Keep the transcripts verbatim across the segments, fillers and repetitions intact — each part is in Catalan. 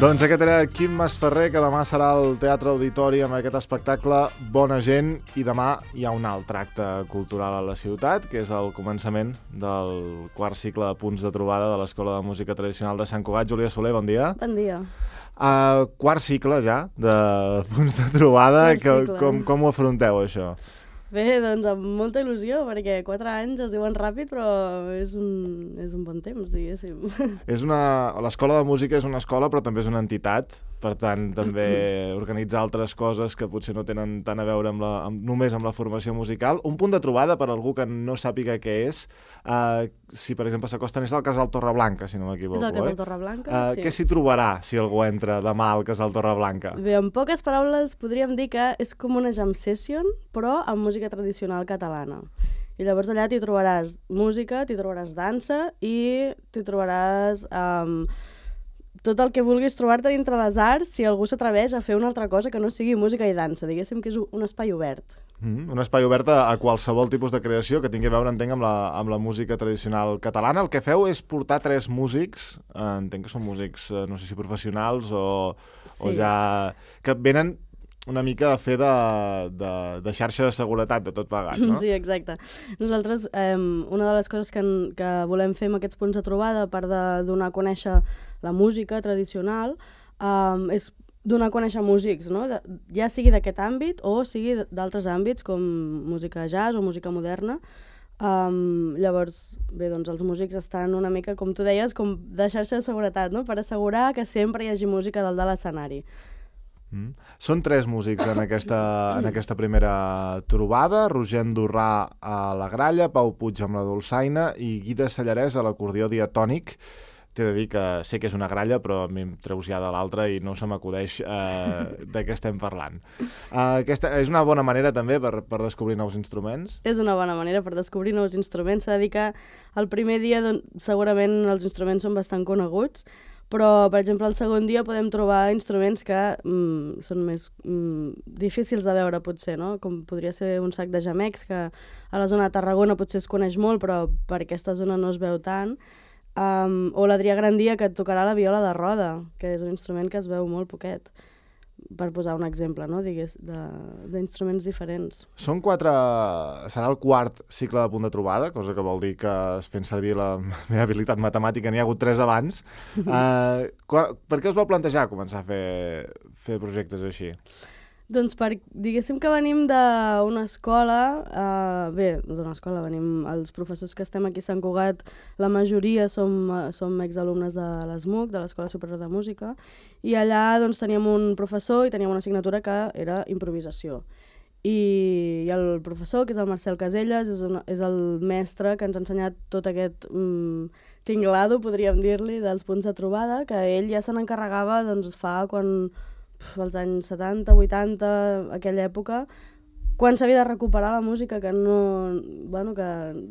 Doncs aquest era Quim Masferrer, que demà serà al Teatre Auditori amb aquest espectacle Bona gent, i demà hi ha un altre acte cultural a la ciutat, que és el començament del quart cicle de punts de trobada de l'Escola de Música Tradicional de Sant Cugat. Júlia Soler, bon dia. Bon dia. Uh, quart cicle ja de punts de trobada, que, cicle. com, com ho afronteu això? Bé, doncs amb molta il·lusió, perquè quatre anys es diuen ràpid, però és un, és un bon temps, diguéssim. És una... L'Escola de Música és una escola, però també és una entitat. Per tant, també organitzar altres coses que potser no tenen tant a veure amb la, amb, només amb la formació musical. Un punt de trobada, per algú que no sàpiga què és, uh, si per exemple s'acosten, és el Casal Torreblanca, si no m'equivoco. És el Casal eh? Torreblanca, uh, sí. Què s'hi trobarà si algú entra demà al Casal Torreblanca? Bé, en poques paraules podríem dir que és com una jam session, però amb música tradicional catalana. I llavors allà t'hi trobaràs música, t'hi trobaràs dansa i t'hi trobaràs... Um, tot el que vulguis trobar-te dintre les arts si algú s'atreveix a fer una altra cosa que no sigui música i dansa. Diguéssim que és un espai obert. Mm, un espai obert a, a qualsevol tipus de creació que tingui a veure, entenc, amb la, amb la música tradicional catalana. El que feu és portar tres músics, eh, entenc que són músics, eh, no sé si professionals o, sí. o ja... que venen una mica a fer de, de, de xarxa de seguretat de tot plegat, no? Sí, exacte. Nosaltres, eh, una de les coses que, que volem fer amb aquests punts de trobada, a part de donar a conèixer la música tradicional, eh, és donar a conèixer músics, no? De, ja sigui d'aquest àmbit o sigui d'altres àmbits, com música jazz o música moderna. Um, llavors, bé, doncs els músics estan una mica, com tu deies, com de xarxa de seguretat, no? Per assegurar que sempre hi hagi música dalt de l'escenari. Mm. Són tres músics en aquesta, en aquesta primera trobada: Roger Andorrà a la gralla, Pau Puig amb la dolçaina i Guida Sallarès a l'acordió diatònic. T'he de dir que sé que és una gralla, però a mi em treus ja de l'altra i no se m'acudeix eh, de què estem parlant. Uh, aquesta és una bona manera també per, per descobrir nous instruments? És una bona manera per descobrir nous instruments. S'ha de dir que el primer dia doncs, segurament els instruments són bastant coneguts, però, per exemple, el segon dia podem trobar instruments que mm, són més mm, difícils de veure, potser, no? Com podria ser un sac de gemecs, que a la zona de Tarragona potser es coneix molt, però per aquesta zona no es veu tant. Um, o l'Adrià Grandia, que et tocarà la viola de roda, que és un instrument que es veu molt poquet, per posar un exemple, no? Digués, d'instruments diferents. Són quatre... Serà el quart cicle de punt de trobada, cosa que vol dir que, fent servir la meva habilitat matemàtica, n'hi ha hagut tres abans. uh, per què us vau plantejar començar a fer, fer projectes així? Doncs per, diguéssim que venim d'una escola, uh, bé, d'una escola, venim els professors que estem aquí a Sant Cugat, la majoria som, som exalumnes de l'E S M U C, de l'Escola Superior de Música, i allà doncs, teníem un professor i teníem una assignatura que era improvisació. I, i el professor, que és el Marcel Caselles, és, una, és el mestre que ens ha ensenyat tot aquest mm, tinglado, podríem dir-li, dels punts de trobada, que ell ja se n'encarregava doncs, fa quan... als anys setanta, vuitanta, aquella època, quan s'havia de recuperar la música, que no, bueno, que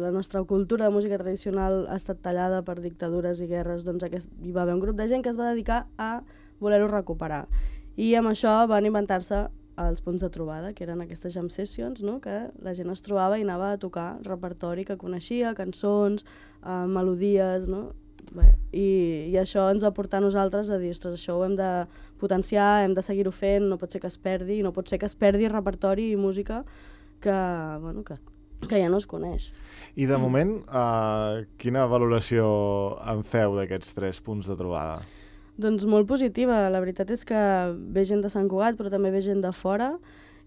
la nostra cultura de música tradicional ha estat tallada per dictadures i guerres, doncs aquest, hi va haver un grup de gent que es va dedicar a voler-ho recuperar. I amb això van inventar-se els punts de trobada, que eren aquestes jam sessions, no? Que la gent es trobava i anava a tocar repertori que coneixia, cançons, eh, melodies, no? Bé, i, i això ens va portar a nosaltres a dir, ostres, això ho hem de potenciar, hem de seguir-ho fent, no pot ser que es perdi, no pot ser que es perdi repertori i música que, bueno, que, que ja no es coneix. I de moment, uh, quina valoració en feu d'aquests tres punts de trobada? Doncs molt positiva, la veritat és que ve gent de Sant Cugat, però també ve gent de fora,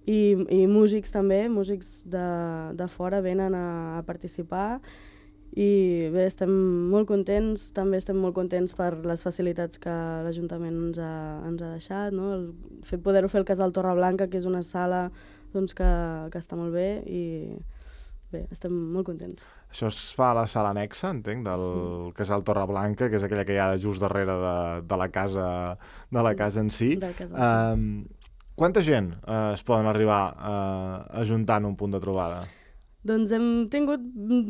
i, i músics també, músics de, de fora venen a, a participar. I bé, estem molt contents, també estem molt contents per les facilitats que l'Ajuntament ens ha, ens ha deixat, no? El fet poder-ho fer al Casal Torreblanca, que és una sala doncs, que, que està molt bé, i bé, estem molt contents. Això es fa a la sala anexa, entenc, del mm. Casal Torreblanca, que és aquella que hi ha just darrere de, de, la, casa, de la casa en si. Um, quanta gent uh, es poden arribar uh, a juntar en un punt de trobada? Doncs hem tingut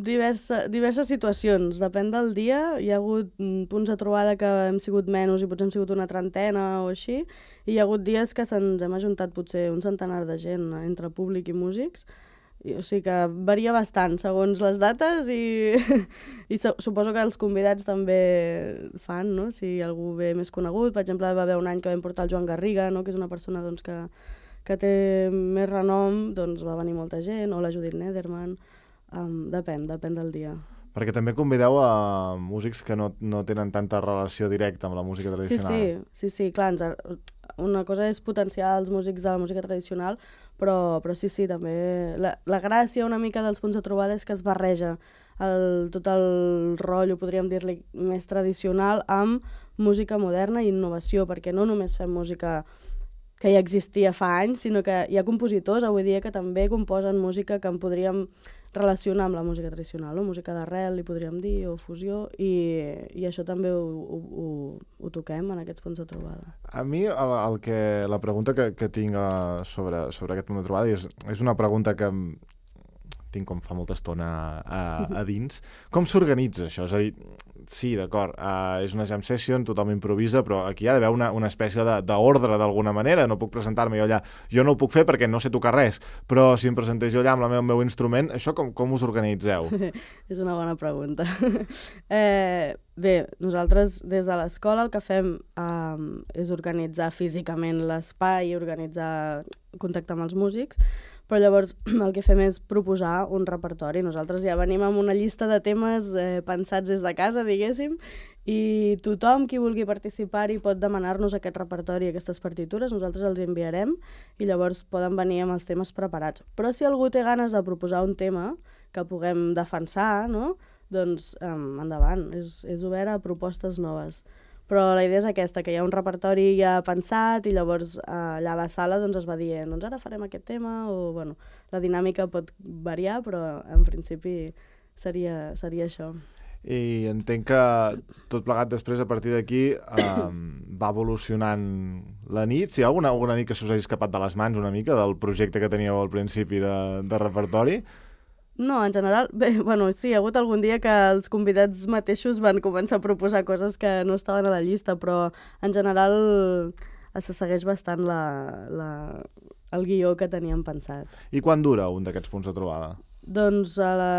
diversa, diverses situacions, depèn del dia. Hi ha hagut punts de trobada que hem sigut menys i potser hem sigut una trentena o així, i hi ha hagut dies que se'ns hem ajuntat potser un centenar de gent entre públic i músics, I, o sigui que varia bastant segons les dates i, i su suposo que els convidats també fan, no? Si algú ve més conegut, per exemple, va haver un any que vam portar el Joan Garriga, no? Que és una persona doncs, que, que té més renom, doncs va venir molta gent, o la Judith Nederman, um, depèn, depèn del dia. Perquè també convideu a músics que no, no tenen tanta relació directa amb la música tradicional. Sí, sí, sí, sí clar, ens, una cosa és potenciar els músics de la música tradicional, però, però sí, sí, també... La, la gràcia una mica dels punts de trobada és que es barreja el, tot el rotllo, podríem dir-li, més tradicional amb música moderna i innovació, perquè no només fem música que ja existia fa anys, sinó que hi ha compositors avui dia que també composen música que en podríem relacionar amb la música tradicional, no? Música d'arrel, li podríem dir, o fusió, i, i això també ho, ho, ho, ho toquem en aquests punts de trobada. A mi el, el que, la pregunta que, que tinc sobre, sobre aquest punt de trobada és, és una pregunta que tinc com fa molta estona a, a dins. Com s'organitza això? És a dir, sí, d'acord, uh, és una jam session, tothom improvisa, però aquí hi ha d'haver una, una espècie d'ordre d'alguna manera. No puc presentar-me jo allà. Jo no ho puc fer perquè no sé tocar res, però si em presentés jo allà amb la meu, el meu instrument, això com, com us organitzeu? És una bona pregunta. eh, bé, nosaltres des de l'escola el que fem um, és organitzar físicament l'espai i organitzar, contactar amb els músics, però llavors el que fem és proposar un repertori. Nosaltres ja venim amb una llista de temes eh, pensats des de casa, diguéssim, i tothom qui vulgui participar-hi pot demanar-nos aquest repertori, aquestes partitures, nosaltres els enviarem i llavors poden venir amb els temes preparats. Però si algú té ganes de proposar un tema que puguem defensar, no? Doncs eh, endavant, és, és obert a propostes noves. Però la idea és aquesta, que hi ha un repertori ja pensat i llavors eh, allà a la sala doncs, es va dient doncs ara farem aquest tema, o bueno, la dinàmica pot variar, però en principi seria, seria això. I entenc que tot plegat després, a partir d'aquí, eh, va evolucionant la nit. Si hi ha alguna, alguna nit que s'us hagi escapat de les mans una mica del projecte que teníeu al principi de, de repertori? No, en general, bé, bueno, sí, hi ha hagut algun dia que els convidats mateixos van començar a proposar coses que no estaven a la llista, però en general se segueix bastant la, la, el guió que teníem pensat. I quan dura un d'aquests punts de trobada? Doncs a la...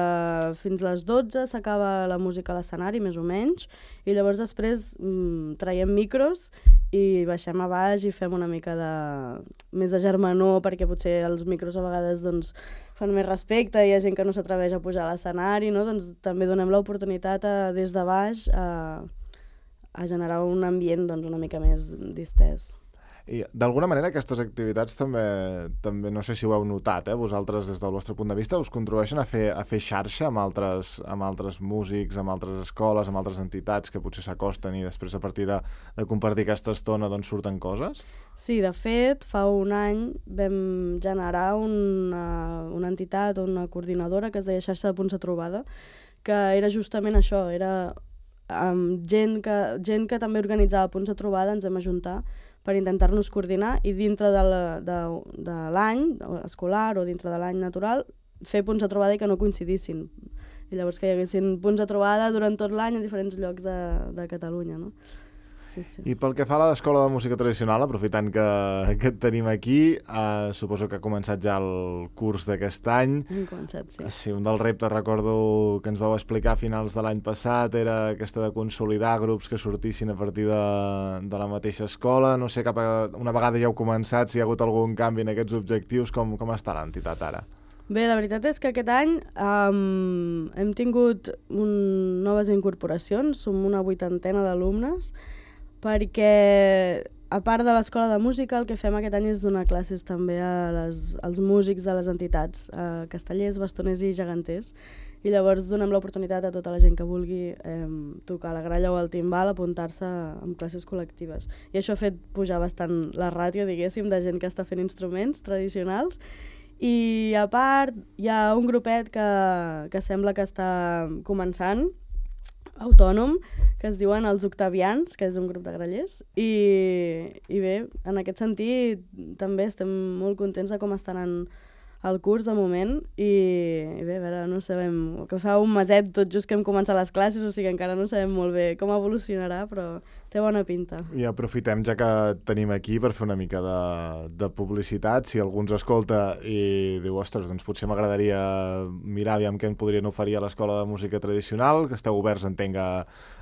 fins les dotze s'acaba la música a l'escenari, més o menys, i llavors després mmm, traiem micros i baixem a baix i fem una mica de... més de germanor, perquè potser els micros a vegades doncs, fan més respecte, hi ha gent que no s'atreveix a pujar a l'escenari, no? Doncs també donem l'oportunitat a, des de baix a, a generar un ambient doncs, una mica més distès. I d'alguna manera aquestes activitats també, també no sé si ho heu notat, eh? Vosaltres des del vostre punt de vista us contribueixen a fer, a fer xarxa amb altres, amb altres músics, amb altres escoles, amb altres entitats que potser s'acosten i després a partir de, de compartir aquesta estona doncs surten coses? Sí, de fet, fa un any vam generar una, una entitat o una coordinadora que es deia Xarxa de Punts de Trobada, que era justament això, era um, gent, que, gent que també organitzava punts de trobada, ens vam ajuntar per intentar-nos coordinar i dintre de l'any escolar o dintre de l'any natural fer punts de trobada i que no coincidissin. I llavors que hi haguessin punts de trobada durant tot l'any a diferents llocs de, de Catalunya, no? Sí, sí. I pel que fa a l'Escola de Música Tradicional, aprofitant que, que et tenim aquí, eh, suposo que ha començat ja el curs d'aquest any. Hem començat, sí. Sí, un dels reptes, recordo, que ens vau explicar a finals de l'any passat era aquesta de consolidar grups que sortissin a partir de, de la mateixa escola. No sé, cap a, una vegada ja heu començat, si hi ha hagut algun canvi en aquests objectius, com, com està l'entitat ara? Bé, la veritat és que aquest any um, hem tingut un, noves incorporacions, som una vuitantena d'alumnes, perquè a part de l'escola de música el que fem aquest any és donar classes també a les, als músics de les entitats, a castellers, bastoners i geganters, i llavors donem l'oportunitat a tota la gent que vulgui eh, tocar la gralla o el timbal, apuntar-se amb classes col·lectives. I això ha fet pujar bastant la ràtio, diguéssim, de gent que està fent instruments tradicionals. I a part hi ha un grupet que, que sembla que està començant, autònom, que es diuen els Octavians, que és un grup de grallers, i, i bé, en aquest sentit també estem molt contents de com estan en, el curs de moment i, i bé, a veure, no sabem, que fa un meset tot just que hem començat les classes, o sigui encara no sabem molt bé com evolucionarà, però té bona pinta. I aprofitem, ja que tenim aquí, per fer una mica de, de publicitat. Si algú ens escolta i diu, ostres, doncs potser m'agradaria mirar aviam què em podrien oferir a l'Escola de Música Tradicional, que esteu oberts, entenga,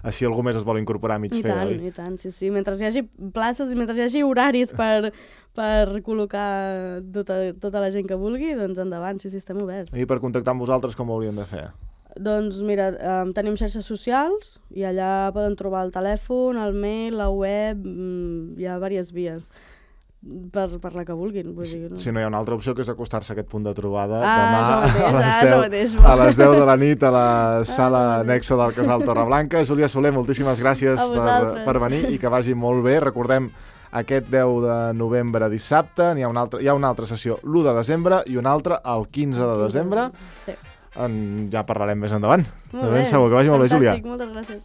així algú més es vol incorporar a mig I fer, tant, oi? I tant, sí, sí. Mentre hi hagi places i mentre hi hagi horaris per, per col·locar tota, tota la gent que vulgui, doncs endavant, sí, sí, estem oberts. I per contactar amb vosaltres com ho haurien de fer? Doncs mira, um, tenim xarxes socials i allà poden trobar el telèfon, el mail, la web, mm, hi ha diverses vies per, per la que vulguin. Vull dir, no? Si no hi ha una altra opció, que és acostar-se a aquest punt de trobada ah, demà mateix, a, les ah, deu, mateix, a les deu de la nit a la sala ah, anexa del Casal Torreblanca. Júlia Soler, moltíssimes gràcies per, per venir i que vagi molt bé. Recordem, aquest deu de novembre dissabte hi ha una altra, hi ha una altra sessió l'u de desembre i una altra el quinze de desembre. Sí. En, ja parlarem més endavant. Molt de ben bé. segur, que vagi molt bé, Júlia. Fantàstic, moltes gràcies.